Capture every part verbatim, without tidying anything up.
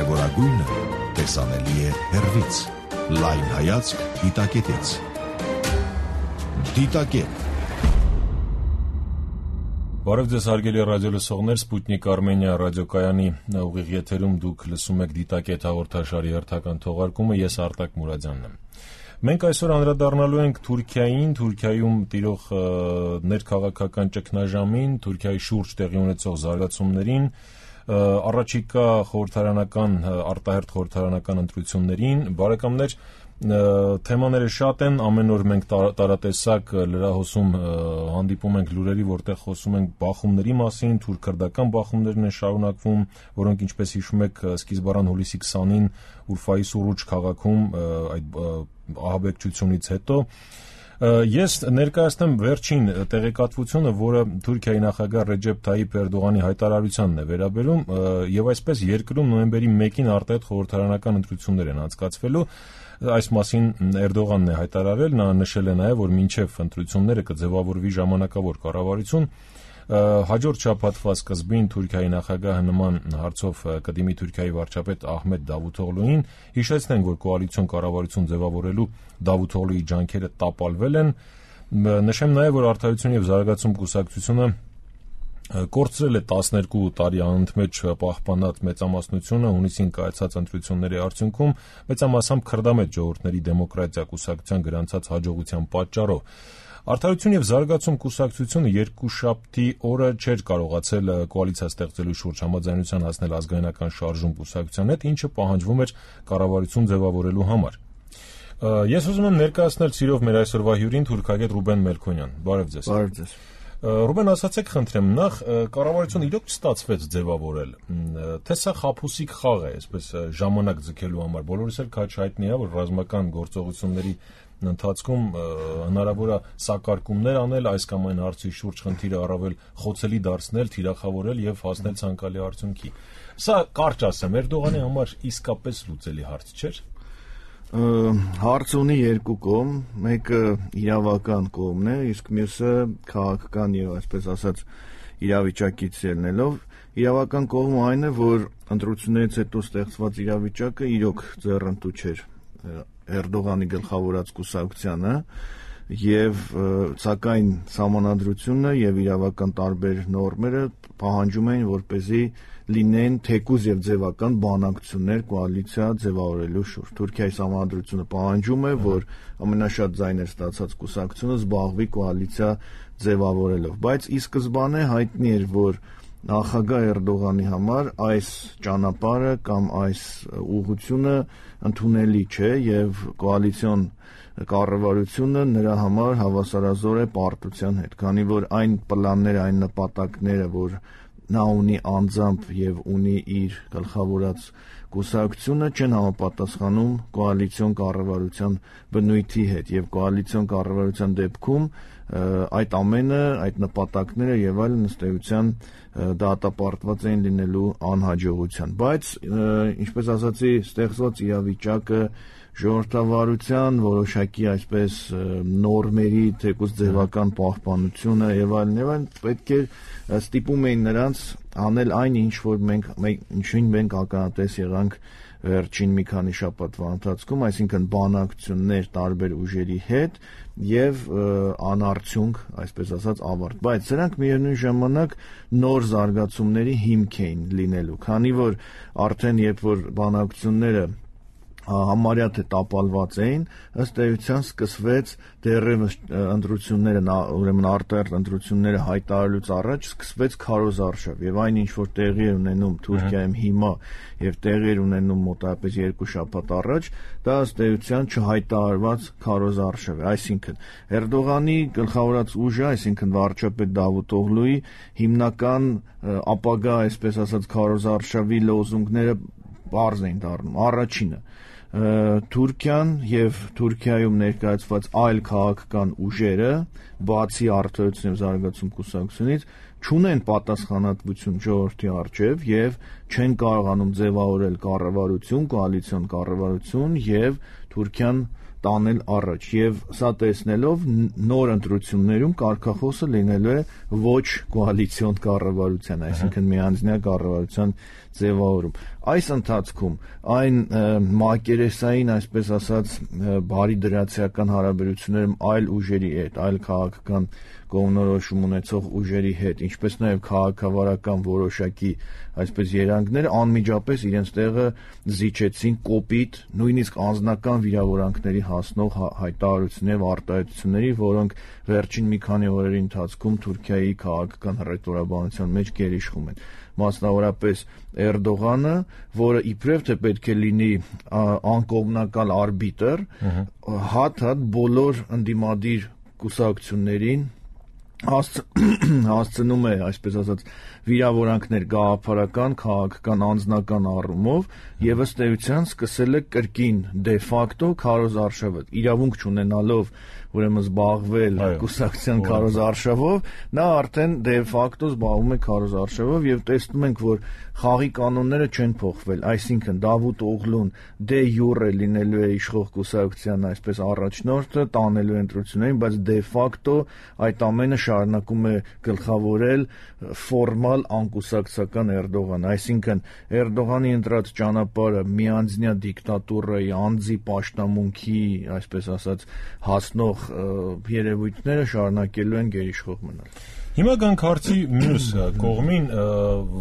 Կարևորագույնը տեսանելի է հեռվից։ Լայն հայացք դիտակետից։ Դիտակետ։ Բարև ձեզ հարգելի ռադիո լսողներ, Սպուտնիկ Արմենիա ռադիոկայանի ուղիղ եթերում դուք լսում եք Դիտակետ հաղորդաշարի հերթական թողարկումը, ես Արտակ Մուրադյանն եմ։ Մենք այսօր անդրադառնալու ենք Թուրքիային, Թուրքիայում տիրող ներքաղաքական ճգնաժամին, Թուրքիայի շուրջ տեղի ունեցող զարգացումներին, առաջիկա խորհրդարանական, արտահերթ խորհրդարանական ընտրություններին։ Բարեկամներ, թեմաները շատ են, ամեն օր մենք տարատեսակ լրահոսում հանդիպում ենք լուրերի, որտեղ խոսում ենք բախումների մասին, թուրք-քրդական բախումներն են շարունակվում, որոնք ինչպես հիշում եք սկիզբառան հուլիսի քսանին Ուրֆայի Սուրուջ քաղաքում այդ ահաբեկչությունից հետո։ Ես ներկայացնեմ վերջին տեղեկատվությունը, որը Թուրքիայի նախագահ Ռեջեփ Թայիփ Էրդողանի հայտարարությանն է վերաբերում, եւ այսպես երկրում նոյեմբերի մեկին արտահերթ խորհրդարանական ընտրություններ են անցկացվելու։ Այս մասին Էրդողանն է հայտարարել, նա նշել է նաև, որ մինչև ընտրությունները կձևավորվի ժամանակավոր կառավարություն։ Հաջորդ շաբաթվա սկզբին Թուրքիայի նախագահը նման հարցով կդիմի Թուրքիայի վարչապետ Ահմեդ Դավութօղլուին։ Հիշեցնենք, որ կոալիցիոն կառավարություն ձևավորելու Դավութօղլուի ջանքերը տապալվել են։ Նշեմ նաև, որ Արդարություն և զարգացում կուսակցությունը կորցրել է տասներկու տարի անընդմեջ պահպանած մեծամասնությունը հունիսին կայացած ընտրությունների արդյունքում, մեծամասամբ քրդամետ ժողովուրդների դեմոկրատիա կուսակցության գրանցած հաջողության պատճառով։ Արդարություն և զարգացում կուսակցությունը երկուշաբթի օրը չէր կարողացել կոալիցիա ստեղծելու շուրջ համաձայնության հասնել ազգայնական շարժում կուսակցության հետ, ինչը պահանջվում էր կառավարություն ձևավորելու համար։ Ես ուզում եմ ներկայացնել սիրով մեր այսօրվա հյուրին թուրքագետ Ռուբեն Մելքոնյան։ Բարև ձեզ։ Բարև ձեզ։ Ռուբեն, ասացեք խնդրեմ, նախ կառավարությունը իրոք չստացվեց ձևավորել, թե սա խաբուսիկ խաղ է, այսպես ժամանակ ձգելու համար։ Բոլորիս էլ քաջ հայտնի է, որ ռազմական գործողությունների ընթացքում հնարավոր է սակարկումներ անել, այս կամ այն հարցի շուրջ խնդիրը առավել խոցելի դարձնել, թիրախավորել եւ հասնել ցանկալի արդյունքի։ Սա կարճ ասեմ, Էրդողանի համար իսկապես լուծելի հարց չէր։ Հարց ունի երկու կողմ, մեկը իրավական կողմն է, իսկ մյուսը քաղաքական եւ այսպես ասած իրավիճակից ելնելով։ Իրավական կողմը այն է, որ ընտրություններից հետո ստեղծված իրավիճակը իրոք ձեռնտու չէր Էրդողանի գլխավորած կուսակցությանը, եւ սակայն սահմանադրությունը եւ իրավական տարբեր նորմերը պահանջում էին, որպեսզի լինեն թեկուզ եւ ձևական բանակցություններ կոալիցիա ձևավորելու շուրջ։ Թուրքիայի սահմանադրությունը պահանջում է, որ ամենաշատ ձայներ ստացած կուսակցությունը զբաղվի կոալիցիա ձևավորելով, բայց ի սկզբանե հայտնի էր, որ նախագահ Էրդողանի համար այս ճանապարհը կամ այս ուղղությունը ընդունելի չէ եւ կոալիցիոն կառավարությունը նրա համար հավասարազոր է պարտության հետ, քանի որ այն պլանները, այն նպատակները, որ նա ունի անձամբ եւ ունի իր գլխավորած կուսակցությունը, չեն համապատասխանում կոալիցիոն կառավարության բնույթի հետ եւ կոալիցիոն կառավարության դեպքում այդ ամենը, այդ նպատակները եւ այլն ըստ էության դատապարտված էին լինելու անհաջողության, բայց ինչպես ասացի, ստեղծված իրավիճակը ժողովրդավարության որոշակի այսպես նորմերի թեկուզ ձևական պահպանությունը եւ այլն եւ այլն պետք է ստիպում էին նրանց անել այն, ինչ որ մենք ինչին մենք ականատես եղանք վերջին մի քանի շաբաթվա ընթացքում, այսինքն բանակցություններ տարբեր ուժերի հետ եւ անարդյունք, այսպես ասած, ավարտ, բայց սրանք միևնույն ժամանակ նոր զարգացումների հիմք էին լինելու, քանի որ արդեն երբ որ բանակցությունները համարյա թե տապալված էին, ըստ էության սկսվեց դեռևս ընտրությունները, ուրեմն արտահերթ ընտրությունները հայտարարելուց առաջ սկսվեց քարոզարշավ եւ այն ինչ որ տեղի էր ունենում Թուրքիայում հիմա եւ տեղի էր ունենում մոտավորապես երկու շաբաթ առաջ, դա ըստ էության չհայտարարված քարոզարշավ է, այսինքն Էրդողանի գլխավորած ուժը, այսինքն վարչապետ Դավութօղլուի հիմնական ապագա, այսպես ասած, քարոզարշավի լոզունգները բարձ էին դառնում։ Առաջինը Թուրքիան եւ Թուրքիայում ներկայացված այլ քաղաքական ուժերը, բացի Արդարություն եւ զարգացում կուսակցությունից, չունեն պատասխանատվություն ժողովրդի առջև եւ չեն կարողանում ձևավորել կառավարություն, կոալիցիոն կառավարություն եւ Թուրքիան տանել առաջ եւ սա տեսնելով նոր ընտրություններում կարգախոսը լինելու է ոչ կոալիցիոն կառավարության, այսինքն միանձնյա կառավարության ձևավորում։ Այս ընթացքում այն մակերեսային, այսպես ասած, բարի դրացիական հարաբերություններում այլ ուժերի հետ, այլ քաղաքական կողմնորոշում ունեցող ուժերի հետ, ինչպես նաև քաղաքավարական որոշակի այսպես երանգներ անմիջապես իրենց տեղը զիջեցին կոպիտ, նույնիսկ անձնական վիրավորանքների հասնող հայտարարությունների եւ արտահայտությունների, որոնք վերջին մի քանի օրերի ընթացքում Թուրքիայի քաղաքական հռետորաբանության մեջ գերիշխում են։ Մասնավորապես Էրդողանը, որը իբրև թե պետք է լինի անկողմնակալ արբիտր, հատ-հատ բոլոր ընդդիմադիր կուսակցություններին հասցնում է, այսպես ասած, վիրավորանքներ գաղափարական, քաղաքական, անձնական առումով եւ ըստ էության սկսել է կրկին դե ֆակտո քարոզարշավը, իրավունք չունենալով ուրեմն զբաղվել կուսակցության քարոզարշավով, նա արդեն դե ֆակտո զբաղվում է քարոզարշավով եւ տեսնում ենք, որ խաղի կանոնները չեն փոխվել, այսինքն Դավութ Օղլուն դե յուրե լինելու է իշխող կուսակցության այսպես առաջնորդը, տանելու ընտրություններին, բայց դե ֆակտո այդ ամենը շարունակում է գլխավորել ֆորմալ անկուսակցական Էրդողան, այսինքն Էրդողանի ընտրած ճանապարհը միանձնյա դիկտատուրայի, անձի պաշտամունքի, այսպես ասած, հասնող երևույթները շարունակելու են գերիշխող մնալ։ Հիմա գանք հարցի մյուս կողմին,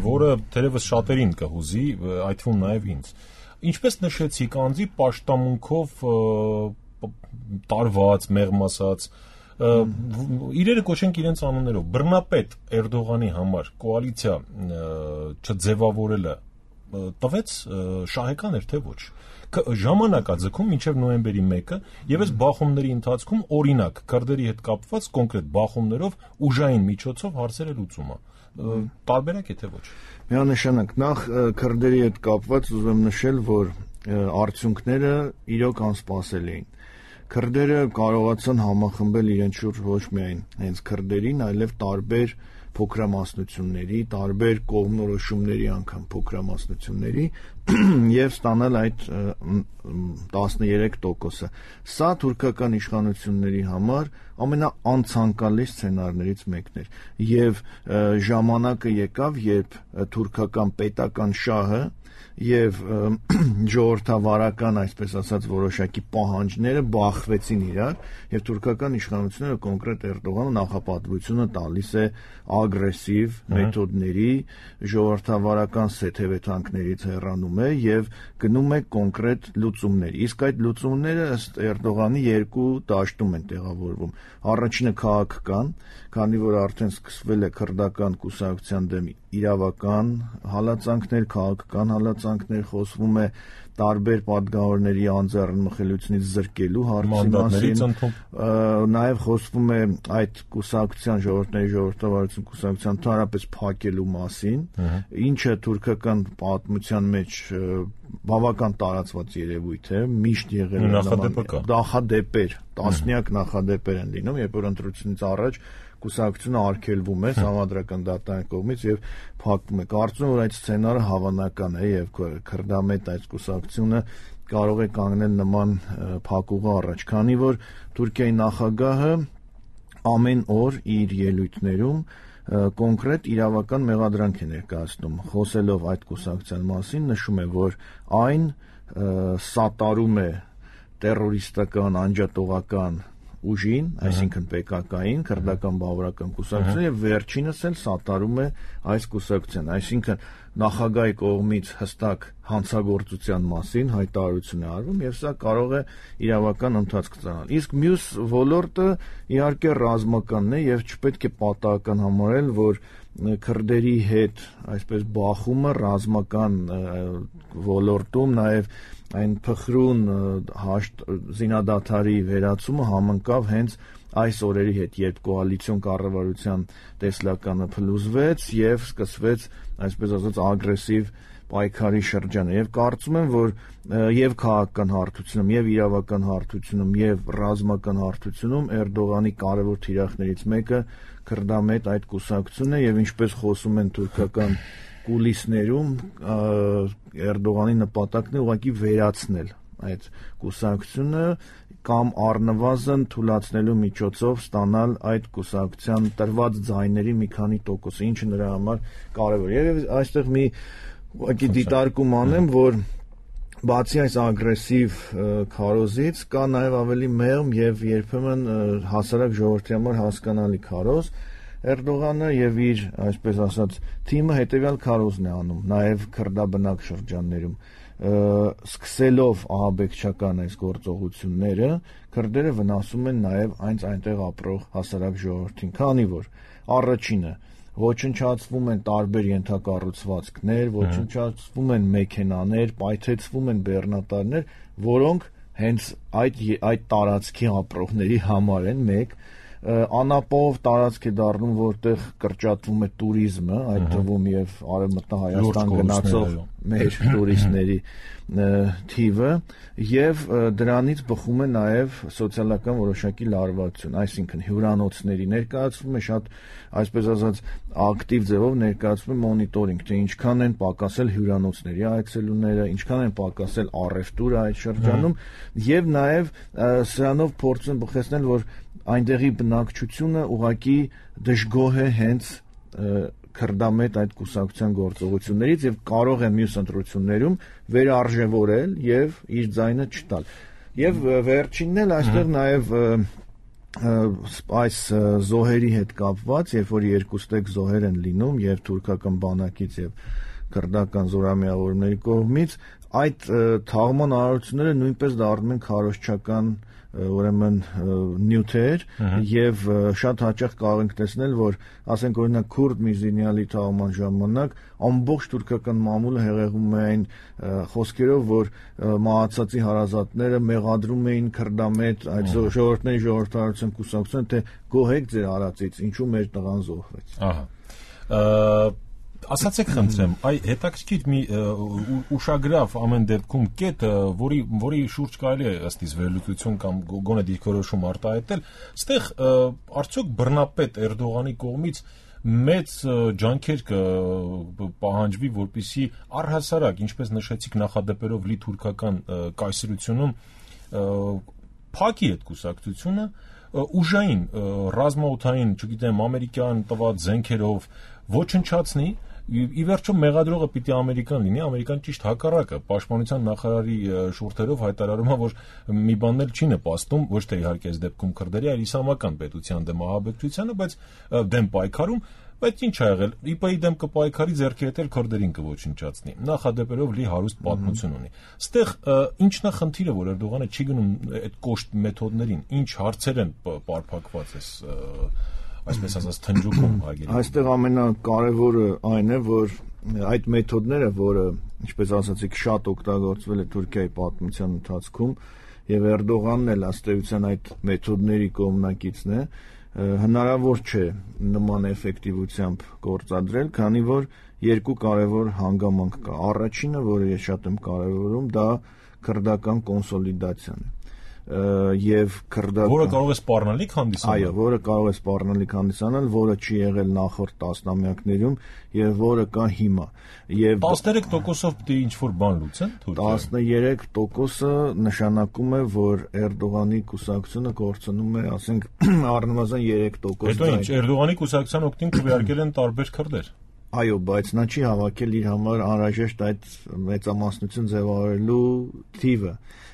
որը թերևս շատերին կհուզի, այդ թվում նաև ինձ։ Ինչպես նշեցիք, անձի պաշտամունքով տարված, մեղմ ասած, իրերը կոչենք իրենց անուններով, բռնապետ Էրդողանի համար կոալիցիա չձևավորելը տվեց շահեկան էր թե ոչ։ Ժամանակաձգում մինչև նոյեմբերի մեկը եւ այս բախումների ընթացքում օրինակ քրդերի հետ կապված կոնկրետ բախումներով ուժային միջոցով հարցերը լուծումը տարբերակ է թե ոչ։ Միանշանակ նախ քրդերի հետ կապված ուզում եմ նշել, որ արդյունքները իրոք անսպասելի էին։ Քրդերը կարողացան համախմբել իրենց շուրջ ոչ միայն հենց քրդերին, այլև տարբեր փոքրամասնությունների, տարբեր կողմնորոշումների անգամ փոքրամասնությունների եւ ստանալ այդ տասներեք տոկոսը։ Սա թուրքական իշխանությունների համար ամենաանցանկալի սցենարներից մեկն էր եւ ժամանակը եկավ, երբ թուրքական պետական շահը եւ ժողովրդավարական, այսպես ասած, որոշակի պահանջները բախվեցին իրար եւ թուրքական իշխանությունները կոնկրետ Էրդողանը նախապատվությունը տալիս է ագրեսիվ մեթոդների, ժողովրդավարական սեթևեթանքներից հեռանում է եւ գնում է կոնկրետ լուծումներ։ Իսկ այդ լուծումները ըստ Էրդողանի երկու դաշտում են տեղավորվում։ Առաջինը քաղաքական, քանի որ արդեն սկսվել է քրդական կուսակցության դեմ իրավական հալածանքներ, քաղաքական հալածանքներ, խոսվում է տարբեր պատգամավորների անձեռնմխելիությունից զրկելու հարցի մասին, նաև խոսվում է այդ կուսակցության ժողովրդների ժողովրդավարություն կուսակցության ընդհանրապես փակելու մասին, ինչը թուրքական պատմության մեջ բավական տարածված երևույթ է, միշտ եղել է նախադեպեր, տասնյակ նախադեպեր են լինում, երբ որ ընտրությունից առաջ կուսակցությունը արգելվում է համադրական դատարանի կողմից եւ փակվում է։ Կարծում եմ, որ այդ սցենարը հավանական է եւ քրդամետ այդ կուսակցությունը կարող է կանգնել նման փակուղի առաջ, քանի որ Թուրքիայի նախագահը ամեն օր իր ելույթներում կոնկրետ իրավական մեղադրանք է ներկայացնում, խոսելով այդ կուսակցության մասին, նշում է, որ այն սատարում է տերորիստական, անջատողական ուժին, այսինքն Պե Կա Կային, քրդական բավարարական կուսակցությունը եւ վերջինս էլ սատարում է այս կուսակցության, այսինքն նախագահի կողմից հստակ հանցագործության մասին հայտարարություն է արվում եւ սա կարող է իրավական ընթացք ստանալ։ Իսկ մյուս ոլորտը իհարկե ռազմականն է եւ չպետք է պատահական համարել, որ քրդերի հետ այսպես բախումը ռազմական ոլորտում նաեւ այն փխրուն հաշտ զինադադարի վերացումը համընկավ հենց այս օրերի հետ, երբ կոալիցիոն կառավարության տեսլականը փլուզվեց եւ սկսվեց, այսպես ասած, ագրեսիվ պայքարի շրջանը եւ կարծում եմ, որ եւ քաղաքական հարթությունում եւ իրավական հարթությունում եւ ռազմական հարթությունում Էրդողանի կարևոր թիրախներից մեկը քրդամետ այդ կուսակցությունն է եւ ինչպես խոսում են թուրքական կուլիսներում Էրդողանի նպատակն է ուղղակի վերացնել այդ կուսակցությունը կամ առնվազն թույլատնելու միջոցով ստանալ այդ կուսակցության տրված ձայների մի քանի տոկոսը, ինչը նրա համար կարևոր է։ Եվ այստեղ մի ուղղակի դիտարկում անեմ, որ բացի այս ագրեսիվ քարոզից կա նաև ավելի մեղմ եւ երբեմն հասարակ ժողովրդի համար հասկանալի քարոզ։ Էրդողանը եւ իր, այսպես ասած, թիմը հետեւյալ քարոզն է անում, նաեւ քրդաբնակ շրջաններում, սկսելով ահաբեկչական այս գործողությունները, քրդերը վնասում են նաեւ այնց այնտեղ ապրող հասարակ ժողովրդին, քանի որ առաջինը ոչնչացվում են տարբեր ենթակառուցվածքներ, ոչնչացվում են մեքենաներ, պայթեցվում են բեռնատարներ, որոնք հենց այդ այդ տարածքի ապրողների համար են մեկ անապով տարածք է դառնում, որտեղ կրճատվում է туриզմը, այդ թվում եւ արևմտահայաստան գնացող մեր տուրիստների թիվը եւ դրանից բխում է նաեւ սոցիալական որոշակի լարվածություն, այսինքն հյուրանոցների ներկայացվում է շատ, այսպես ասած, ակտիվ ձևով ներկայացվում է մոնիտորինգ, թե ինչքան են պակասել հյուրանոցների այցելուները, ինչքան են պակասել առևտուրը այդ շրջանում եւ նաեւ սրանով փորձում բխեցնել, որ այնտեղի բնակչությունը ուղղակի դժգոհ է հենց քրդամետ այդ կուսակցության գործողություններից եւ կարող է մյուս ընտրություններում վերարժևորել եւ իր ձայնը չտալ։ Եվ վերջինն էլ այստեղ նաեւ այս զոհերի հետ կապված, երբ որ երկուստեք զոհեր են լինում եւ թուրքական բանակից եւ քրդական զորամիավորների կողմից, այդ թաղման արարությունները նույնպես դառնում են քարոզչական ուրեմն նյութեր եւ շատ հաճախ կարող ենք տեսնել, որ ասենք օրինակ քուրդ մի զինյալի թաղման ժամանակ ամբողջ թուրքական մամուլը հեղեղում է այն խոսքերով, որ մահացածի հարազատները մեղադրում էին քրդամետ այդ ժողովրդների ժողովրդարության կուսակցությանը, թե գոհեք ձեր արածից, ինչու մեր տղան զոհվեց։ Ահա Ասացեք խնդրեմ, այ հետաքրքիր մի ուշագրավ ամեն դեպքում կետ, որի որի շուրջ կարելի է ըստ իս վերլուծություն կամ գոնե դիրքորոշում արտահայտել, այստեղ արդյոք բռնապետ Էրդողանի կողմից մեծ ջանքեր կպահանջվի, որպեսզի առհասարակ, ինչպես նշեցիք, նախադեպերով լի թուրքական կայսրությունում փակի այդ կուսակցությունը ուժային, ռազմաօդային, չգիտեմ, ամերիկյան տված զենքերով ոչնչացնի։ Ի վերջո մեղադրողը պիտի ամերիկան լինի, ամերիկան ճիշտ հակառակը, պաշտպանության նախարարի շուրթերով հայտարարում է, որ մի բանն էլ չի նպաստում, ոչ թե իհարկե այս դեպքում քրդերի, այլ իսլամական պետության դեմ ահաբեկչությանը, բայց դեմ պայքարում, բայց ինչ ա եղել, ԻՊ-ի դեմ կպայքարի, ձեռքի հետ էլ քրդերին կոչնչացնի, նախադեպերով լի հարուստ պատմություն ունի։ Ստեղ ինչն է խնդիրը, որ Էրդողանը չի գնում այդ կոշտ մեթոդներին, ինչ հարցեր են պարփակված այս այսպես ասած թնջուկում հարգելի։ Այստեղ ամենակարևորը այն է, որ այդ մեթոդները, որը, ինչպես ասացիք, շատ օգտագործվել է Թուրքիայի պատմության ընթացքում, եւ Էրդողանն էլ ըստ էության այդ մեթոդների կողմնակիցն է, հնարավոր չէ նման էֆեկտիվությամբ գործադրել, քանի որ երկու կարևոր հանգամանք կա։ Առաջինը, որը ես շատ եմ կարևորում, դա քրդական կոնսոլիդացիան է։ Եվ քրդական, որը կարող է սպառնալիք հանդիսանալ։ Այո, որը կարող է սպառնալիք հանդիսանալ, որը չի եղել նախորդ տասնամյակներում եւ որը կա հիմա։ Եւ տասներեք տոկոսով պիտի ինչ-որ բան լուծեն Թուրքիա։ տասներեք տոկոսը նշանակում է, որ Էրդողանի կուսակցությունը կորցնում է, ասենք, առնվազն երեք տոկոս։ Հետո ինչ, Էրդողանի կուսակցության օգտին քվեարկել են տարբեր քրդեր։ Այո, բայց նա չի հավաքել իր համար անհրաժեշտ այդ մեծամասնություն ձևավորելու թիվը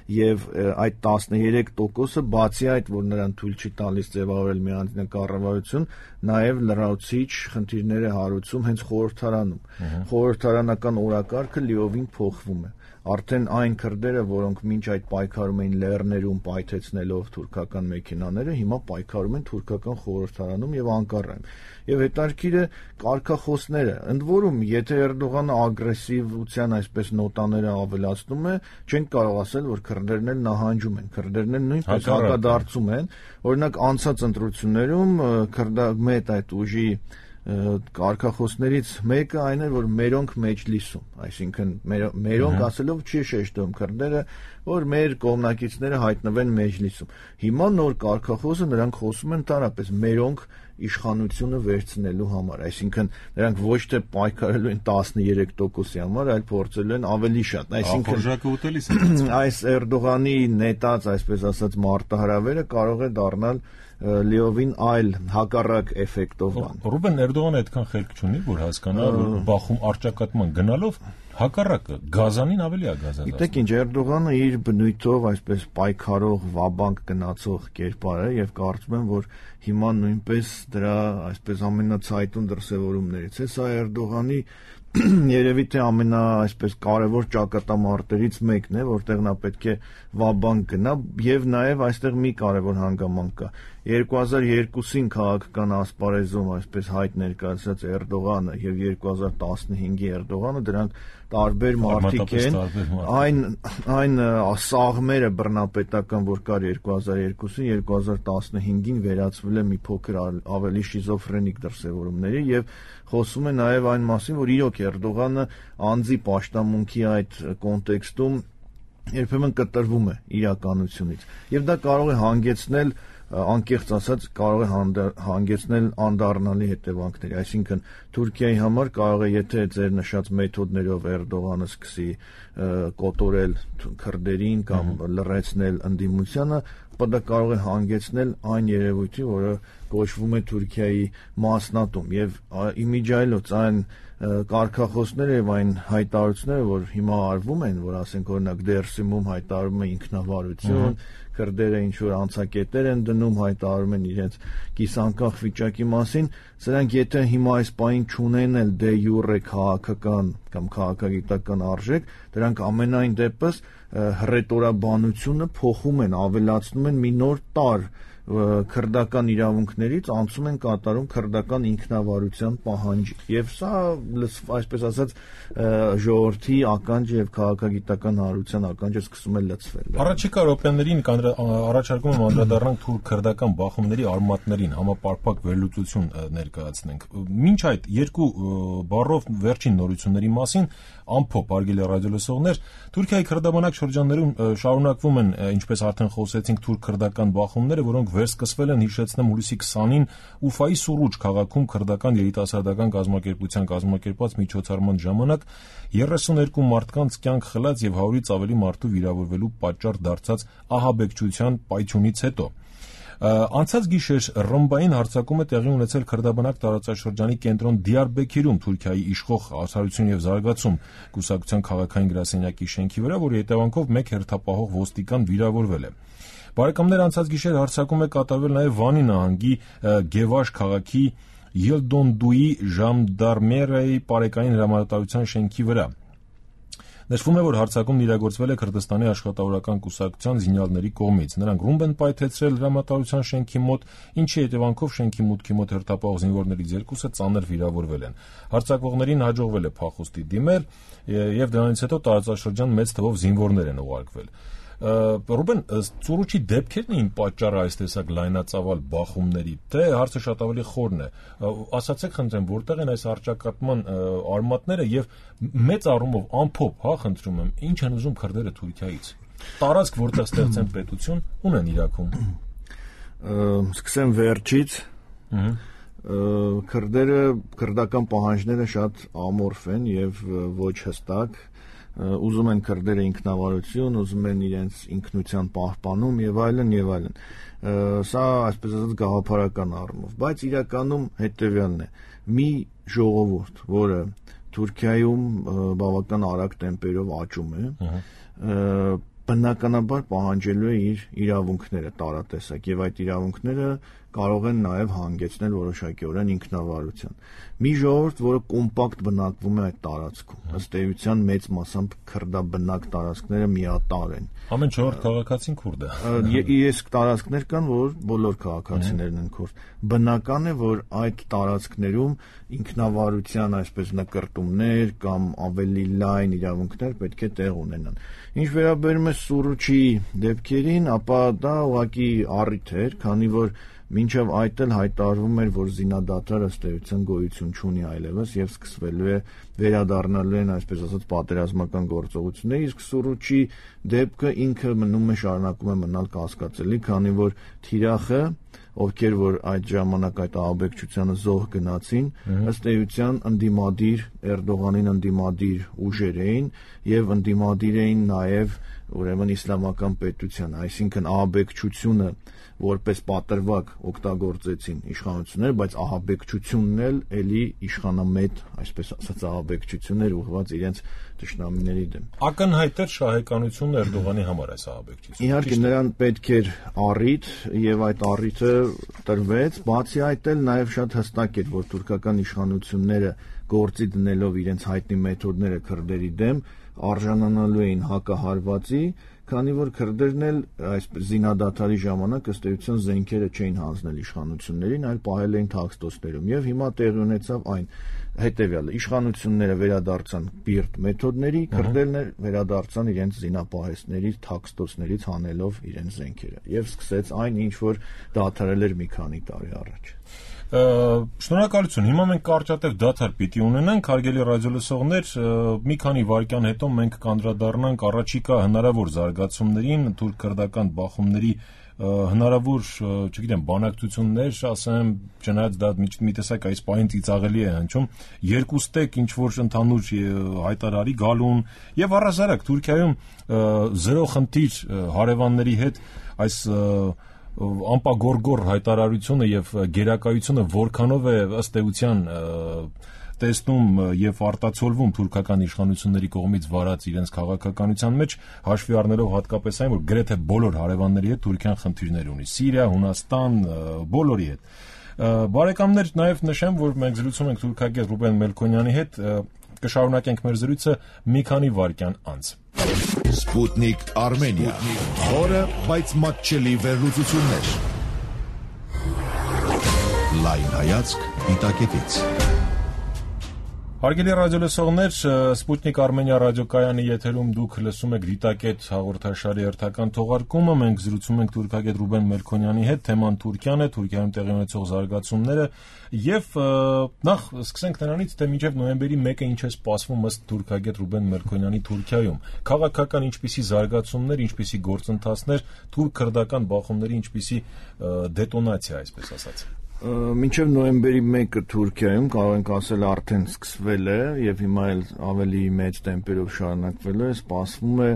եւ այդ տասներեք տոկոսը բացի այդ, որ նրան թույլ չի տալիս ձևավորել մի անձնական կառավարություն, նաեւ լրացուցիչ խնդիրներ է հարուցում հենց խորհրդարանում։ Խորհրդարանական օրակարգը լիովին փոխվում է։ Արդեն այն քրդերը, որոնք մինչ այդ պայքարում էին լեռներում պայթեցնելով թուրքական մեքենաները, հիմա պայքարում են թուրքական խորհրդարանում եւ Անկարայում։ Եվ հետարքիրը կարգախոսները, ընդ որում, եթե Էրդողանը ագրեսիվության այսպես նոտաները ավելացնում է, չենք կարող ասել, որ քրդերն էլ նահանջում են, քրդերն էլ նույնպես հակադարձում են։ Օրինակ անցած ընտրություններում քրդամետ այդ ուժի կարգախոսներից մեկը այն է, որ մերոնք մեջլիսում, այսինքն մերոնք ասելով չի շեշտում քրդերը, որ մեր կողմնակիցները հայտնվեն մեջլիսում։ Հիմա նոր կարգախոսը նրանք խոսում են տարապես մերոնք իշխանությունը վերցնելու համար, այսինքն նրանք ոչ թե պայքարելու են տասներեք տոկոսի համար, այլ փորձելու են ավելի շատ, այսինքն այս Էրդողանի նետած, այսպես ասած, մարտահրավերը կարող է դառնալ լիովին այլ հակառակ էֆեկտով բան։ Ռուբեն Էրդողանը այդքան խելք չունի, որ հասկանա, որ Բախում առճակատման գնալով հակառակը գազանին ավելի է գազացնում։ Գիտեք ինչ, Էրդողանը իր բնույթով այսպես պայքարող, վաբանկ գնացող կերպար է եւ կարծում եմ, որ հիմա նույնպես դրա այսպես ամենացայտուն դրսևորումներից է, սա Էրդողանի երևի թե ամենա այսպես կարևոր ճակատամարտերից մեկն է, որտեղ նա պետք է վաբանկ գնա եւ նաեւ այստեղ մի կարևոր հանգամանք կա։ երկու հազար երկուսին քաղաքական ասպարեզում այսպես հայտ ներկայացած Էրդողանը եւ երկու հազար տասնհինգի Էրդողանը դրանք տարբեր մարդիկ են, այն այն սաղմերը բռնապետական, որ կար երկու հազար երկուսին, երկու հազար տասնհինգին վերածվել է մի փոքր ավելի շիզոֆրենիկ դրսևորումների եւ խոսում է նաեւ այն մասին, որ իրոք Էրդողանը անձի պաշտամունքի այդ կոնտեքստում երբեմն կտրվում է իրականությունից եւ դա կարող է հանգեցնել անկեղծ ասած կարող է հանգեցնել անդառնալի հետևանքների, այսինքն Թուրքիայի համար կարող է, եթե ձեր նշած մեթոդներով Էրդողանը սկսի կոտորել քրդերին կամ լռեցնել ընդդիմությանը, դա կարող է հանգեցնել այն երևույթի, որը կոչվում է Թուրքիայի մասնատում եւ իմիջայլոց այն կարգախոսները եւ այն հայտարարությունները, որ հիմա արվում են, որ ասենք օրինակ Դերսիմում հայտարարում է ինքնավարություն, քրդերը ինչ որ անցակետեր են դնում, հայտարարում են իրենց կիսանկախ վիճակի մասին, սրանք եթե հիմա այս պահին չունեն էլ դե յուրե քաղաքական կամ քաղաքագիտական արժեք, դրանք ամենայն դեպս հռետորաբանությունը փոխում են, ավելացնում են մի նոր տար քրդական իրավունքներից անցում են կատարում քրդական ինքնավարության պահանջի եւ սա այսպես ասած ժողովրդի ականջ եւ քաղաքագիտական հարության ականջը սկսում է լցվել։ Առաջիկա րոպեներին առաջարկում եմ անդրադառնանք թուրք-քրդական բախումների արմատներին, համապարփակ վերլուծություն ներկայացնենք։ Մինչ այդ երկու բառով վերջին նորությունների մասին ամփոփ արգելի ռադիոլսողներ, Թուրքիայի քրդաբանակ շրջաններում շարունակվում են, ինչպես արդեն խոսեցինք, թուրք-քրդական բախումները, որոնք վերսկսվել են հիշեցնեմ հուլիսի քսանին Ուֆայի Սուրուջ քաղաքում քրդական երիտասարդական կազմակերպության կազմակերպած միջոցառման ժամանակ երեսուներկու մարդկանց կյանք խլած եւ հարյուրից ավելի մարդու վիրավորվելու պատճառ դարձած ահաբեկչության պայթյունից հետո։ Անցած գիշեր ռմբային հարձակում է տեղի ունեցել քրդաբանակ տարածաշրջանի կենտրոն Դիարբեքիրում Թուրքիայի իշխող Արդարություն եւ զարգացում կուսակցության քաղաքային գրասենյակի շենքի վրա, որի հետևանքով մեկ հերթապահող ոստիկան վիրավորվել է։ Բարեկամներ, անցած գիշեր հարձակում է կատարվել նաեւ Վանի նահանգի Գևաշ քաղաքի Յիլդոնդուի ժանդարմերիայի պարեկային հրամանատարության շենքի վրա։ Նշվում է, որ հարձակումն իրագործվել է Քրդստանի աշխատավորական կուսակցության զինյալների կողմից։ Նրանք ռումբ են պայթեցրել հրամանատարության շենքի մոտ, ինչի հետևանքով շենքի մուտքի մոտ հերթապահող զինվորներից երկուսը ծանր վիրավորվել են։ Հարձակվողներին հաջողվել է փախուստի դիմել եւ դրանից հետո տարածաշրջան մեծ թվով զինվորներ են ուղարկվել։ Ռուբեն, Սուրուչի դեպքերն էին պատճառը այս տեսակ լայնածավալ բախումների, թե հարցը շատ ավելի խորն է։ Ասացեք խնդրեմ, որտեղ են այս առճակատման արմատները եւ մեծ առումով ամփոփ, հա, խնդրում եմ, ինչ են ուզում քրդերը Թուրքիայից։ Տարածք, որտեղ ստեղծեն պետություն, ունեն Իրաքում։ Սկսեմ վերջից։ Քրդերը, քրդական պահանջները շատ ամորֆ են եւ ոչ հստակ։ Ուզում են քրդերը ինքնավարություն, ուզում են իրենց ինքնության պահպանում եւ այլն եւ այլն։ Սա այսպես ասած գաղափարական առումով, բայց իրականում հետեւյալն է. մի ժողովուրդ, որը Թուրքիայում բավական արագ տեմպերով աճում է, բնականաբար պահանջելու է իր իրավունքները տարատեսակ եւ այդ իրավունքները կարող են նաեւ հանգեցնել որոշակիորեն ինքնավարության։ Մի ժողովուրդ, որը կոմպակտ բնակվում է այդ տարածքում, ըստ էության մեծ մասամբ քրդաբնակ տարածքները միատարր են։ Ամեն չորրորդ քաղաքացին քուրդ է։ Ես տարածքներ կան, որ բոլոր քաղաքացիներն են քուրդ։ Բնական է, որ այդ տարածքներում ինքնավարության այսպես նկրտումներ կամ ավելի լայն իրավունքներ պետք է տեղ ունենան։ Ինչ վերաբերում է Սուրուչի դեպքերին, ապա դա ուղղակի առիթ էր, քանի որ մինչև այդ էլ հայտարարվում էր, որ զինադադարը ըստ էության գոյություն չունի այլևս եւ սկսվելու է վերադառնալու են այսպես ասած պատերազմական գործողությունները, իսկ Սուրուչի դեպքը ինքը մնում է շարունակում է մնալ կասկածելի, քանի որ թիրախը, ովքեր որ այդ ժամանակ այդ ահաբեկչությանը զոհ գնացին, ըստ էության ընդդիմադիր Էրդողանին ընդդիմադիր ուժեր էին եւ ընդդիմադիր էին նաեւ ուրեմն իսլամական պետության, այսինքն ահաբեկչությունը որպես պատրվակ օգտագործեցին իշխանությունները, բայց ահաբեկչությունն էլ էլի իշխանամետ, այսպես ասած, ահաբեկչություններ ուղղված իրենց ճշտամիների դեմ։ Ակնհայտ էր շահեկանությունն Էրդողանի համար այս ահաբեկչությունը։ Իհարկե նրան պետք էր առիթ եւ այդ առիթը տրվեց, բացի այդ էլ նաեւ շատ հստակ էր, որ թուրքական իշխանությունները գործի դնելով իրենց հայտնի մեթոդները քրդերի դեմ արժանանալու էին հակահարվածի, քանի որ քրդերն էլ այս զինադադարի ժամանակ ըստ էության զենքերը չէին հանձնել իշխանություններին, այլ պահել էին թաքստոցներում եւ հիմա տեղի ունեցավ այն հետեւյալը. իշխանությունները վերադարձան բիրտ մեթոդների, քրդերն էլ վերադարձան իրենց զինապահեսներից, թաքստոցներից հանելով իրենց զենքերը եւ սկսեց այն, ինչ որ դադարել էր մի քանի տարի առաջ։ Շնորհակալություն։ Հիմա մենք կարճատև դադար պիտի ունենանք, հարգելի ռադիոլսողներ, մի քանի վայրկյան հետո մենք կանդրադառնանք առաջիկա հնարավոր զարգացումներին, թուրք-քրդական բախումների հնարավոր, չգիտեմ, բանակցություններ, ասեմ, չնայած դա մի տեսակ այս պահին ծիծաղելի է հնչում, երկուստեք ինչ որ ընդհանուր հայտարարի գալուն եւ առհասարակ Թուրքիայում զրո խնդիր հարևանների հետ այս անպագորգոր հայտարարությունը եւ գերակայությունը որքանով է ըստ էության տեսնում եւ արտացոլվում թուրքական իշխանությունների կողմից վարած իրենց քաղաքականության մեջ, հաշվի առնելով հատկապես այն, որ գրեթե բոլոր հարևանների հետ Թուրքիան խնդիրներ ունի՝ Սիրիա, Հունաստան, բոլորի հետ։ Բարեկամներ, նաեւ նշեմ, որ մենք զրուցում ենք թուրքագետ Ռուբեն Մելքոնյանի հետ, կշարունակենք մեր զրույցը մի քանի վայրկյան անց։ Սպուտնիկ Արմենիա, խորը, բայց մատչելի վերլուծություններ։ Լայն հայացք դիտակետից։ Հարգելի ռադիոլսողներ, Սպուտնիկ Արմենիա ռադիոկայանի եթերում դուք լսում եք դիտակետ հաղորդաշարի հերթական թողարկումը, մենք զրուցում ենք թուրքագետ Ռուբեն Մելքոնյանի հետ, թեման Թուրքիան է, Թուրքիայում տեղի ունեցող զարգացումները եւ նախ սկսենք նրանից, թե մինչեւ նոյեմբերի մեկը ինչ է սպասվում ըստ թուրքագետ Ռուբեն Մելքոնյանի Թուրքիայում, քաղաքական ինչպիսի զարգացումներ, ինչպիսի գործընթացներ, թուրք-քրդական բախումների ինչպիսի դետոնացիա, այսպես ասած։ Մինչև նոյեմբերի մեկը Թուրքիայում կարող ենք ասել արդեն սկսվել է եւ հիմա էլ ավելի մեծ տեմպերով շարունակվելու է, սպասվում է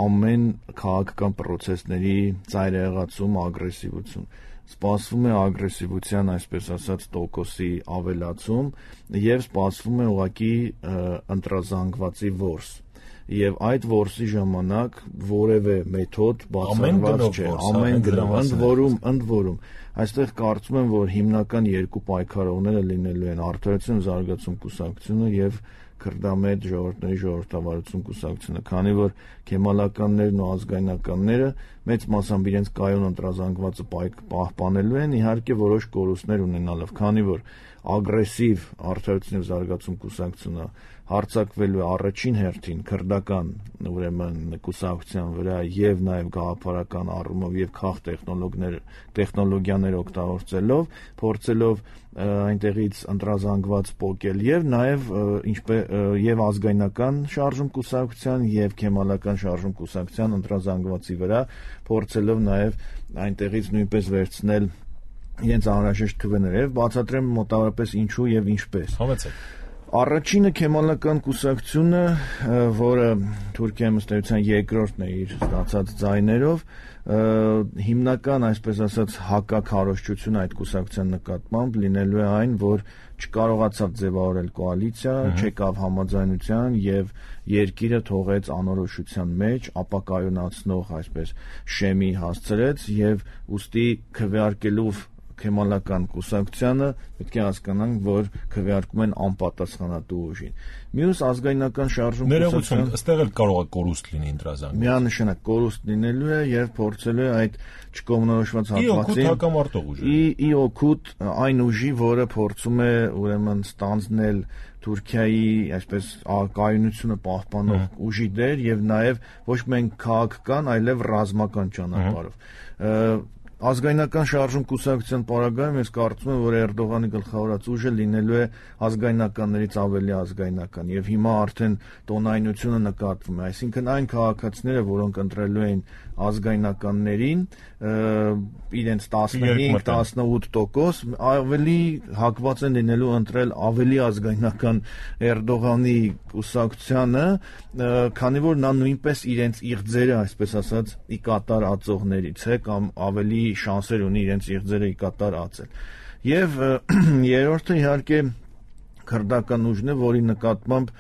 ամեն քաղաքական process-ների ծայրահեղացում, ագրեսիվություն։ Սպասվում է ագրեսիվության, այսպես ասած, տոկոսի ավելացում եւ սպասվում է ուղղակի ընտրազանգվածի որս։ Եվ այդ որսի ժամանակ որևէ մեթոդ բացառված չէ, ամեն գնով, ընդ որում, ընդ որում, այստեղ կարծում եմ, որ հիմնական երկու պայքարողները լինելու են Արդարություն զարգացում կուսակցությունը եւ քրդամետ ժողովրդների ժողովրդավարություն կուսակցությունը, քանի որ քեմալականներն ու ազգայնականները մեծ մասամբ իրենց կայուն ընտրազանգվածը պահպանելու են, իհարկե որոշ կորուստներ ունենալով, քանի որ ագրեսիվ Արդարություն զարգացում կուսակցությունը հարձակվելու առաջին հերթին քրդական ուրեմն կուսակցության վրա եւ նաեւ գաղափարական առումով եւ քաղ տեխնոլոգիաներ տեխնոլոգիաներ օգտագործելով, փորձելով այնտեղից ընտրազանգված պոկել եւ նաեւ ինչպես եւ ազգայնական շարժում կուսակցության եւ քեմալական շարժում կուսակցության ընտրազանգվածի վրա, փորձելով նաեւ այնտեղից նույնպես վերցնել իրենց անհրաժեշտ քվեները եւ բացատրեմ մոտավորապես ինչու եւ ինչպես։ Համեցեք։ Առաջինը քեմալական կուսակցությունը, որը Թուրքիայում ըստ էության երկրորդն է իր ստացած ձայներով, հիմնական, այսպես ասած, հակաքարոզչությունը այդ կուսակցության նկատմամբ լինելու է այն, որ չկարողացավ ձևավորել կոալիցիա, չեկավ համաձայնության եւ երկիրը թողեց անորոշության մեջ, ապակայունացնող, այսպես, շեմի հասցրեց եւ ուստի քվեարկելով քեմալական կուսակցությանը պետք է հասկանանք, որ քվեարկում են անպատասխանատու ուժին։ Մյուս ազգայնական շարժում կուսակցության այստեղ էլ կարող է կորուստ լինի ընտրազանգված։ Միանշանակ կորուստ լինելու է եւ փորձելու է այդ չկողմնորոշված հատվածին ի օգուտ այն ուժի, որը փորձում է ուրեմն ստանձնել Թուրքիայի, այսպես, կայունությունը պահպանող ուժի դեր եւ նաեւ ոչ միայն քաղաքական, այլև ռազմական ճանապարհով։ ազգայնական շարժում կուսակցության պարագայում ես կարծում եմ, որ Էրդողանի գլխավորած ուժը լինելու է ազգայնականներից ավելի ազգայնական եւ հիմա արդեն տոնայնությունը նկատվում է, այսինքն այն քաղաքացիները, որոնք ընտրելու էին ազգայնականներին, իրենց տասնհինգ տասնութ տոկոս ավելի հակված են լինելու ընտրել ավելի ազգայնական Էրդողանի կուսակցությանը, քանի որ նա նույնպես իրենց իղձերը, այսպես ասած, ի կատար ածողներից է կամ ավելի շանսեր ունի իրենց իղձերը ի կատար ածել։ Եվ երրորդը իհարկե քրդական ուժն է, որի նկատմամբ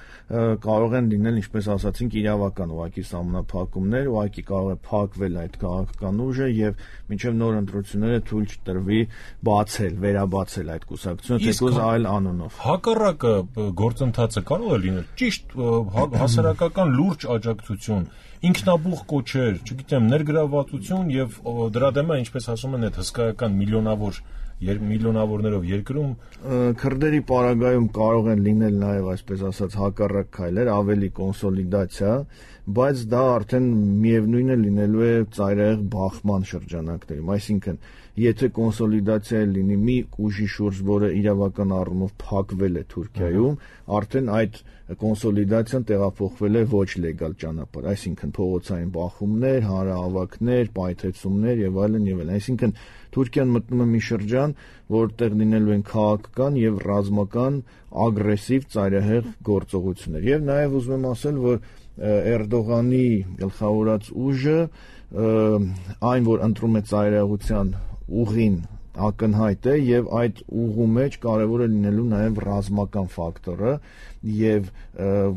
կարող են լինել, ինչպես ասացինք, իրավական ուղղակի սահմանափակումներ, ուղղակի կարող է փակվել այդ քաղաքական ուժը եւ մինչեւ նոր ընտրությունները թույլ չտրվի բացել, վերաբացել այդ կուսակցությունը, թեկուզ այլ անունով։ Հակառակը գործընթացը կարող է լինել ճիշտ հասարակական լուրջ աջակցություն, ինքնաբուխ կոչեր, չգիտեմ, ներգրավվածություն եւ դրա դեմ է, ինչպես ասում են, այդ հսկայական միլիոնավոր միլիոնավորներով երկրում քրդերի պարագայում կարող են լինել նաև այսպես ասած հակառակ քայլեր, ավելի կոնսոլիդացիա, բայց դա արդեն միևնույնն է լինելու է ծայրահեղ բախման շրջանակներում, այսինքն եթե կոնսոլիդացիա լինի մի ուժի շուրջ, որը իրավական առումով փակվել է Թուրքիայում, արդեն այդ կոնսոլիդացիան տեղափոխվել է ոչ լեգալ ճանապարհ, այսինքն փողոցային բախումներ, հանրահավաքներ, պայթեցումներ եւ այլն եւ այլն, այսինքն Թուրքիան մտնում է մի շրջան, որտեղ լինելու են քաղաքական եւ ռազմական ագրեսիվ ծայրահեղ գործողություններ։ Եվ նաեւ ուզում եմ ասել, որ Էրդողանի գլխավորած ուժը այն, որ ընտրում է ծայրահեղության ուղին ակնհայտ է եւ այդ ուղու մեջ կարեւոր է լինելու նաեւ ռազմական ֆակտորը եւ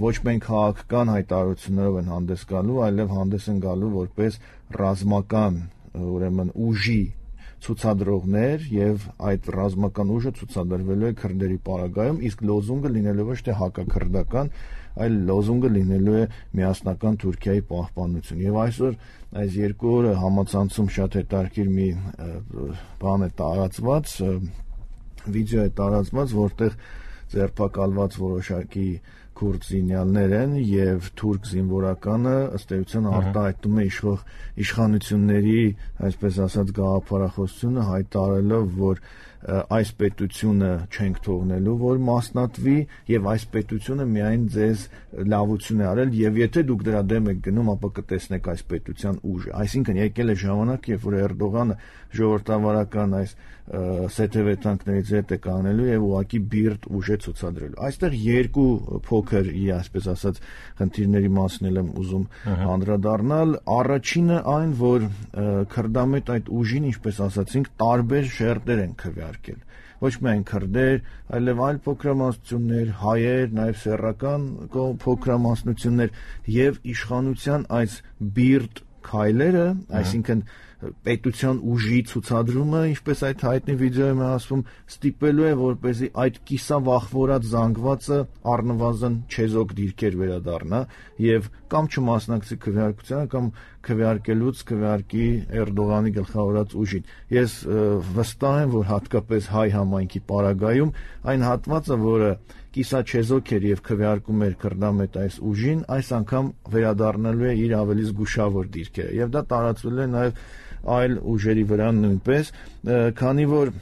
ոչ միայն քաղաքական հայտարարություններով են հանդես գալու, այլև հանդես են գալու որպես ռազմական, ուրեմն ուժի ցուցադրողներ եւ այդ ռազմական ուժը ցուցադրվելու է քրդերի պարագայում, իսկ լոզունգը լինելու ոչ թե հակաքրդական, այլ լոզունգը լինելու է միասնական Թուրքիայի պահպանություն։ Եվ այսօր այս երկու օրը համացանցում շատ հետաքրքիր մի բան է տարածված, վիդեո է տարածված, որտեղ ձերբակալված որոշակի քուրդ զինյալներ են եւ թուրք զինվորականը ըստ էության արտահայտում է իշխող իշխանությունների, այսպես ասած, գաղափարախոսությունը հայտարարելով, որ այս պետությունը չենք թողնելու, որ մասնատվի եւ այս պետությունը միայն ձեզ լավություն է արել եւ եթե դուք դրա դեմ եք գնում, ապա կտեսնեք այս պետության ուժը։ Այսինքն եկել է ժամանակ, երբ որ Էրդողանը ժողովրդավարական այս սեթևեթանքներից հետ է կանելու եւ ուղակի բիրտ ուժ է ցուցադրելու։ Այստեղ երկու փոքր, այսպես ասած, խնդիրների մասին եմ ուզում անդրադառնալ։ Առաջինը այն, որ քրդամետ այդ ուժին, ինչպես ասացինք, տարբեր շերտեր են քվեարկել։ Ոչ միայն քրդեր, այլև այլ փոքրամասնություններ, հայեր, նաև սեռական փոքրամասնություններ եւ իշխանության այս բիրտ քայլերը, այսինքն պետության ուժի ցուցադրումը, ինչպես այդ հայտնի վիդեոյում է ասվում, ստիպելու է, որպեսզի այդ կիսավախվորած զանգվածը առնվազն չեզոք դիրքեր վերադառնա եւ կամ չմասնակցի քվեարկությանը կամ քվեարկելուց քվեարկի Էրդողանի գլխավորած ուժին։ Ես վստահ եմ, որ հատկապես հայ համայնքի պարագայում այն հատվածը, որը կիսաչեզոք էր եւ քվեարկում էր քրդամետ այս ուժին, այս անգամ վերադառնալու է իր ավելի զգուշավոր դիրքերը եւ դա տարածվել է նաեւ այլ ուժերի վրա նույնպես, քանի որ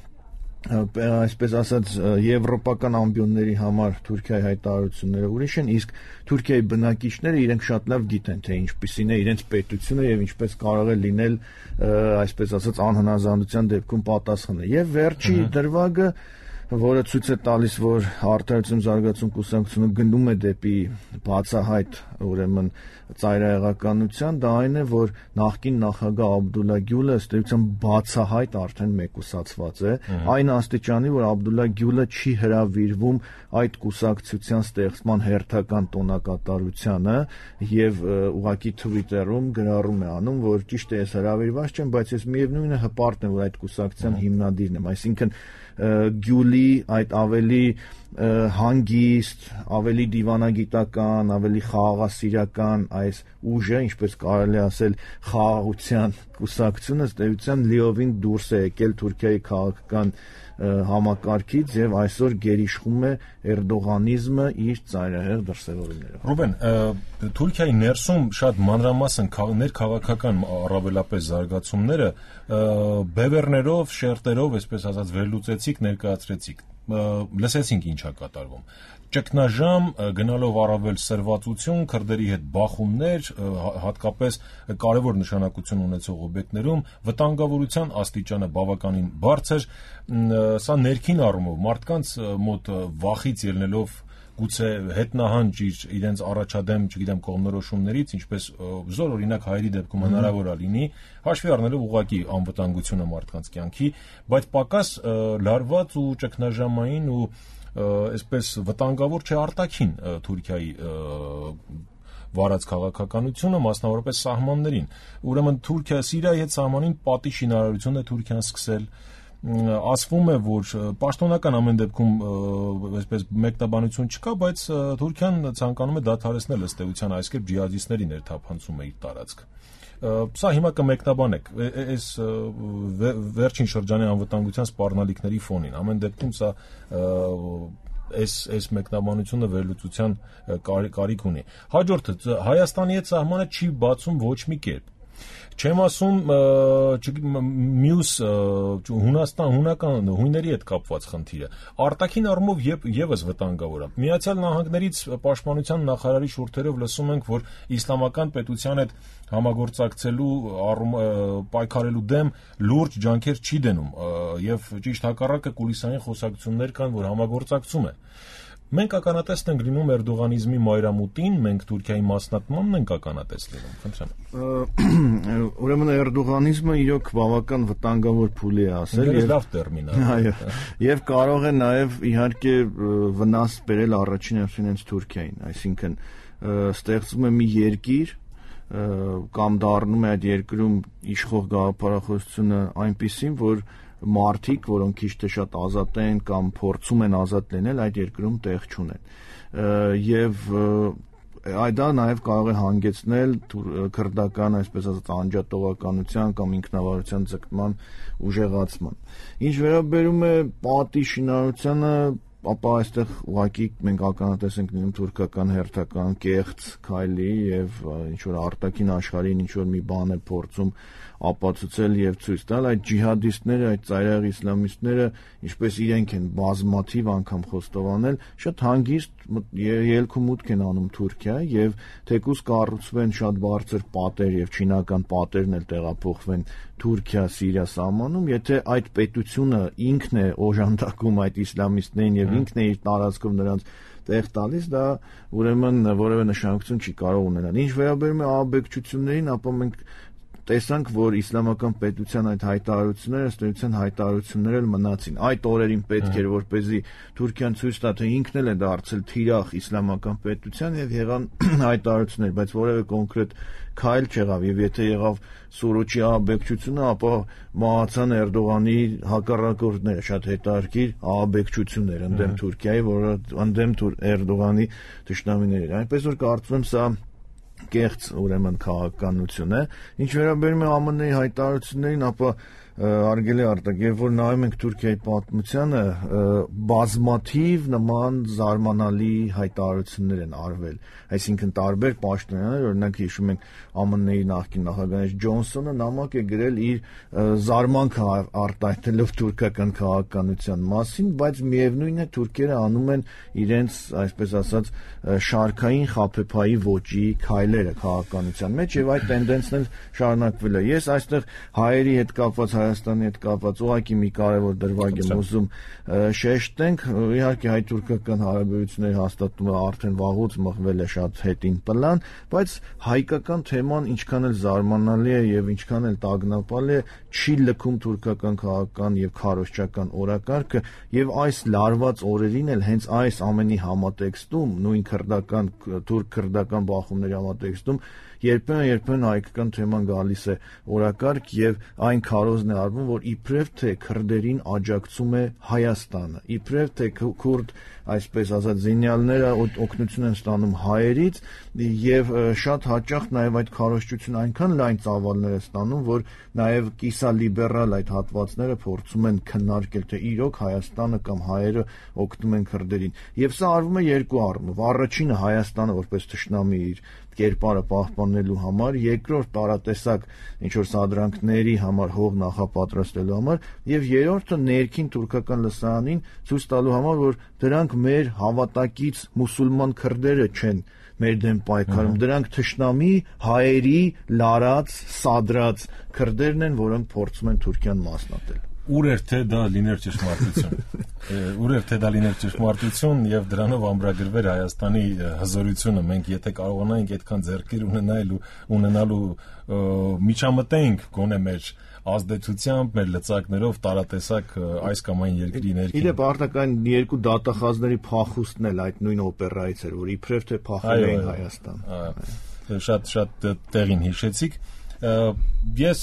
այսպես ասած եվրոպական ամբիոնների համար Թուրքիայի հայտարարությունները ուրիշ են, իսկ Թուրքիայի բնակիչները իրենք շատ լավ գիտեն, թե ինչպիսին է իրենց պետությունը եւ ինչպես կարող է լինել, այսպես ասած, անհնազանդության դեպքում պատասխանը։ Եվ վերջի դրվագը, որը ցույց է տալիս, որ Արդարություն զարգացում կուսակցությունը գնում է դեպի բացահայտ, ուրեմն ծայրահեղականության, դա այն է, որ նախկին նախագահ Աբդուլլա Գյուլը ըստ էության բացահայտ արդեն մեկուսացված է, այն աստիճանի, որ Աբդուլլա Գյուլը չի հրավիրվում այդ կուսակցության ստեղծման հերթական տոնակատարությանը եւ ուղղակի Twitter-ում գրառում է անում, որ ճիշտ է, ես հրավիրված չեմ, բայց ես միևնույնն է հպարտ եմ, որ այդ կուսակցության հիմնադիրն եմ, այսինքն Գյուլի այդ ավելի հանգիստ, ավելի դիվանագիտական, ավելի խաղաղասիրական այս ուժը, ինչպես կարելի ասել, խաղաղության կուսակցությունը ըստ էության լիովին դուրս է եկել Թուրքիայի քաղաքական համակարգից եւ այսօր գերիշխում է էրդողանիզմը իր ծայրահեղ դրսևորումներով։ Ռուբեն, Թուրքիայի ներսում շատ մանրամասն ներքաղաքական առավելապես զարգացումները բևեռներով, շերտերով, այսպես ասած, վերլուծեցիք, ներկայացրեցիք։ Լսեցինք ինչ է կատարվում։ Ճգնաժամ, գնալով առավել սրվածություն, քրդերի հետ բախումներ, հատկապես կարևոր նշանակություն ունեցող օբյեկտներում վտանգավորության աստիճանը բավականին բարձր, սա ներքին առումով մարդկանց մոտ վախից ելնելով գուցե հետնահանջ իրենց առաջադեմ, չգիտեմ, կողմնորոշումներից, ինչպես զոր օրինակ հայերի դեպքում հնարավոր է լինի, հաշվի առնելով ուղղակի անվտանգությունը մարդկանց կյանքի, բայց պակաս լարված ու ճգնաժամային ու այսպես վտանգավոր չէ արտաքին Թուրքիայի վարած քաղաքականությունը, մասնավորապես սահմաններին։ Ուրեմն Թուրքիա Սիրիայի հետ սահմանին պատի շինարարություն է Թուրքիան սկսել, ասվում է, որ պաշտոնական ամեն դեպքում այսպես մեկնաբանություն չկա, բայց Թուրքիան ցանկանում է դադարեցնել ըստ էության այս կերպ ջիհադիստների ներթափանցումը իր տարածք։ Սա հիմա կմեկնաբանեք այս վերջին շրջանի անվտանգության սպառնալիքների ֆոնին։ Ամեն դեպքում սա այս այս մեկնաբանությունը վերլուծության կարիք ունի։ Հաջորդը Հայաստանի հետ սահմանը չի բացում ոչ մի կերպ։ Չեմ ասում մյուս Հունաստան, հունական հույների հետ կապված խնդիրը։ Արտաքին առումով եւս վտանգավոր է։ Միացյալ Նահանգներից պաշտպանության նախարարի շուրթերով լսում ենք, որ իսլամական պետության հետ համագործակցելու պայքարելու դեմ լուրջ ջանքեր չի դնում եւ ճիշտ հակառակը կուլիսային խոսակցություններ կան, որ համագործակցում է։ Մենք ականատես ենք լինում էրդողանիզմի մայրամուտին, մենք Թուրքիայի մասնատմանն ենք ականատես լինում, խնդրեմ։ Ուրեմն էրդողանիզմը իրոք բավական վտանգավոր փուլ է ասել, եւ լավ տերմին է։ Այո, եւ կարող է նաեւ իհարկե վնաս բերել առաջին հերթին Թուրքիային, այսինքն ստեղծվում է մի երկիր կամ դառնում է այդ երկրում իշխող գաղափարախոսությունը այնպիսին, որ մարդիկ, որոնք քիչ թե շատ ազատ են կամ փորձում են ազատ լինել, այդ երկրում տեղ չունեն։ Եվ այդ դա նաև կարող է հանգեցնել քրդական, այսպես ասած, անջատողականության կամ ինքնավարության ձգտման ուժեղացման։ Ինչ վերաբերում է պատի շինարարությանը, ապա այստեղ ուղղակի մենք ականատես ենք լինում թուրքական հերթական կեղծ քայլի եւ ինչ որ արտաքին աշխարհին ինչ որ մի բան է փորձում ապացուցել եւ ցույց տալ այդ ջիհադիստները, այդ ծայրահեղ իսլամիստները, ինչպես իրենք են բազմաթիվ անգամ խոստովանել, շատ հանգիստ ելք ու մուտք են անում Թուրքիա եւ թեկուզ կառուցվեն շատ բարձր պատեր եւ չինական պատերն էլ տեղափոխվեն Թուրքիա-Սիրիա սահմանում, եթե այդ պետությունը ինքն է օժանդակում այդ իսլամիստներին եւ ինքն է իր տարածքով նրանց տեղ տալիս, դա ուրեմն որևէ նշանակություն չի կարող ունենալ։ Ինչ վերաբերում է աբեկչություններին, ապա մենք տեսանք, որ իսլամական պետության այդ հայտարարությունները, ըստ էության հայտարարություններ էլ մնացին։ Այդ օրերին պետք էր, որպեսզի Թուրքիան ցույց տա, թե ինքն էլ է դարձել թիրախ իսլամական պետության եւ եղան հայտարարություններ, բայց որևէ կոնկրետ քայլ չեղավ եւ եթե եղավ Սուրոջի աբեկչությունը, ապա մահացան Էրդողանի հակառակորդները, շատ հետաքրքիր աբեկչություններ ընդդեմ Թուրքիայի, որը ընդդեմ Էրդողանի թշնամիների։ Այնպես որ կարծում եմ սա կեղծ ուրեմն քաղաքականություն է։ Ինչ վերաբերում է ԱՄՆ-ի հայտարարություններին, ապա արգելի արտակ, երբ որ նայում ենք Թուրքիայի պատմությանը, բազմաթիվ նման զարմանալի հայտարարություններ են արվել, այսինքն տարբեր պաշտոնյաներ, օրինակ հիշում ենք ԱՄՆ-ի նախկին նախագահ Ջոնսոնը նամակ է գրել իր զարմանքը արտահայտելով թուրքական քաղաքականության մասին, բայց միևնույն է թուրքերը անում են իրենց, այսպես ասած, շարքային խաբեբայի ոճի քայլերը քաղաքականության մեջ եւ այդ տենդենսն էլ շարունակվել է։ Ես այստեղ հայերի հետ կապված Հայաստանի հետ կապված ուղղակի մի կարևոր դրվագ եմ ուզում շեշտենք, իհարկե հայ-թուրքական հարաբերությունների հաստատումը արդեն վաղուց մղվել է շատ հետին պլան, բայց հայկական թեման ինչքան էլ զարմանալի է եւ ինչքան էլ տագնապալի է, չի լքում թուրքական քաղաքական եւ քարոզչական օրակարգը եւ այս լարված օրերին էլ հենց այս ամենի համատեքստում, նույն քրդական թուրք-քրդական բախումների համատեքստում երբեմն երբեմն հայկական թեման գալիս է օրակարգ եւ այն քարոզն է արվում, որ իբրև թե քրդերին աջակցում է Հայաստանը, իբրև թե քուրդ այսպես ասած զինյալները օգնություն են ստանում հայերից եւ շատ հաճախ նաեւ այդ քարոզչությունը այնքան լայն ծավալներ է ստանում, որ նաեւ կիսալիբերալ այդ հատվածները փորձում են քննարկել, թե իրոք Հայաստանը կամ հայերը օգնում են քրդերին։ Եվ սա արվում է երկու առումով։ Առաջինը Հայաստանը որպես թշնամի իր կերպարը պահպանելու համար, երկրորդ տարատեսակ ինչ որ սադրանքների համար հող նախապատրաստելու համար, եւ երրորդը ներքին թուրքական լսարանին ցույց տալու համար, որ դրանք մեր հավատակից մուսուլման քրդերը չեն մեր դեմ պայքարում, դրանք թշնամի հայերի լարած, սադրած քրդերն են, որոնք փորձում են Թուրքիան մասնատել։ Ուր էր թե դա լիներ ճշմարտություն։ Ուր էր թե դա լիներ ճշմարտություն եւ դրանով ամրագրվեր Հայաստանի հզորությունը։ Մենք եթե կարողանայինք այդքան ձեռքեր ունենալ ու ունենալու միջամտենք գոնե մեր ազդեցությամբ, մեր լծակներով տարատեսակ այս կամ այն երկրի ներքին։ Իդեպ արտական երկու դատախազների փախուստն էլ այդ նույն օպերայից էր, որ իբրև թե փախել էին Հայաստան։ Շատ շատ տեղին հիշեցիք։ Ես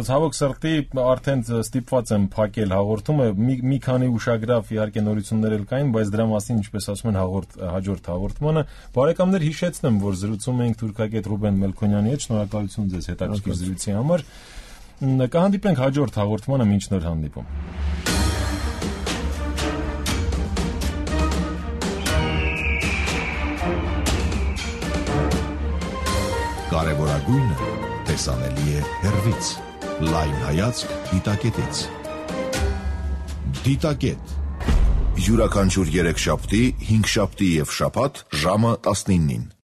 ցավոք սրտի արդեն ստիպված եմ փակել հաղորդումը, մի, մի քանի ուշագրավ իհարկե նորություններ էլ կային, բայց դրա մասին, ինչպես ասում են, հաղորդ, հաջորդ հաղորդմանը բարեկամներ հիշեցնեմ, որ զրուցում էինք թուրքագետ Ռուբեն Մելքոնյանի հետ, շնորհակալություն ձեզ հետաքրքիր զրույցի համար։ Կհանդիպենք հաջորդ հաղորդմանը, մինչ նոր հանդիպում։ Կարևորագույնը տեսանելի է հեռվից։ Լայն հայացք դիտակետից։ Դիտակետ։ Յուրաքանչյուր երեքշաբթի, հինգշաբթի եւ շաբաթ ժամը տասնինին։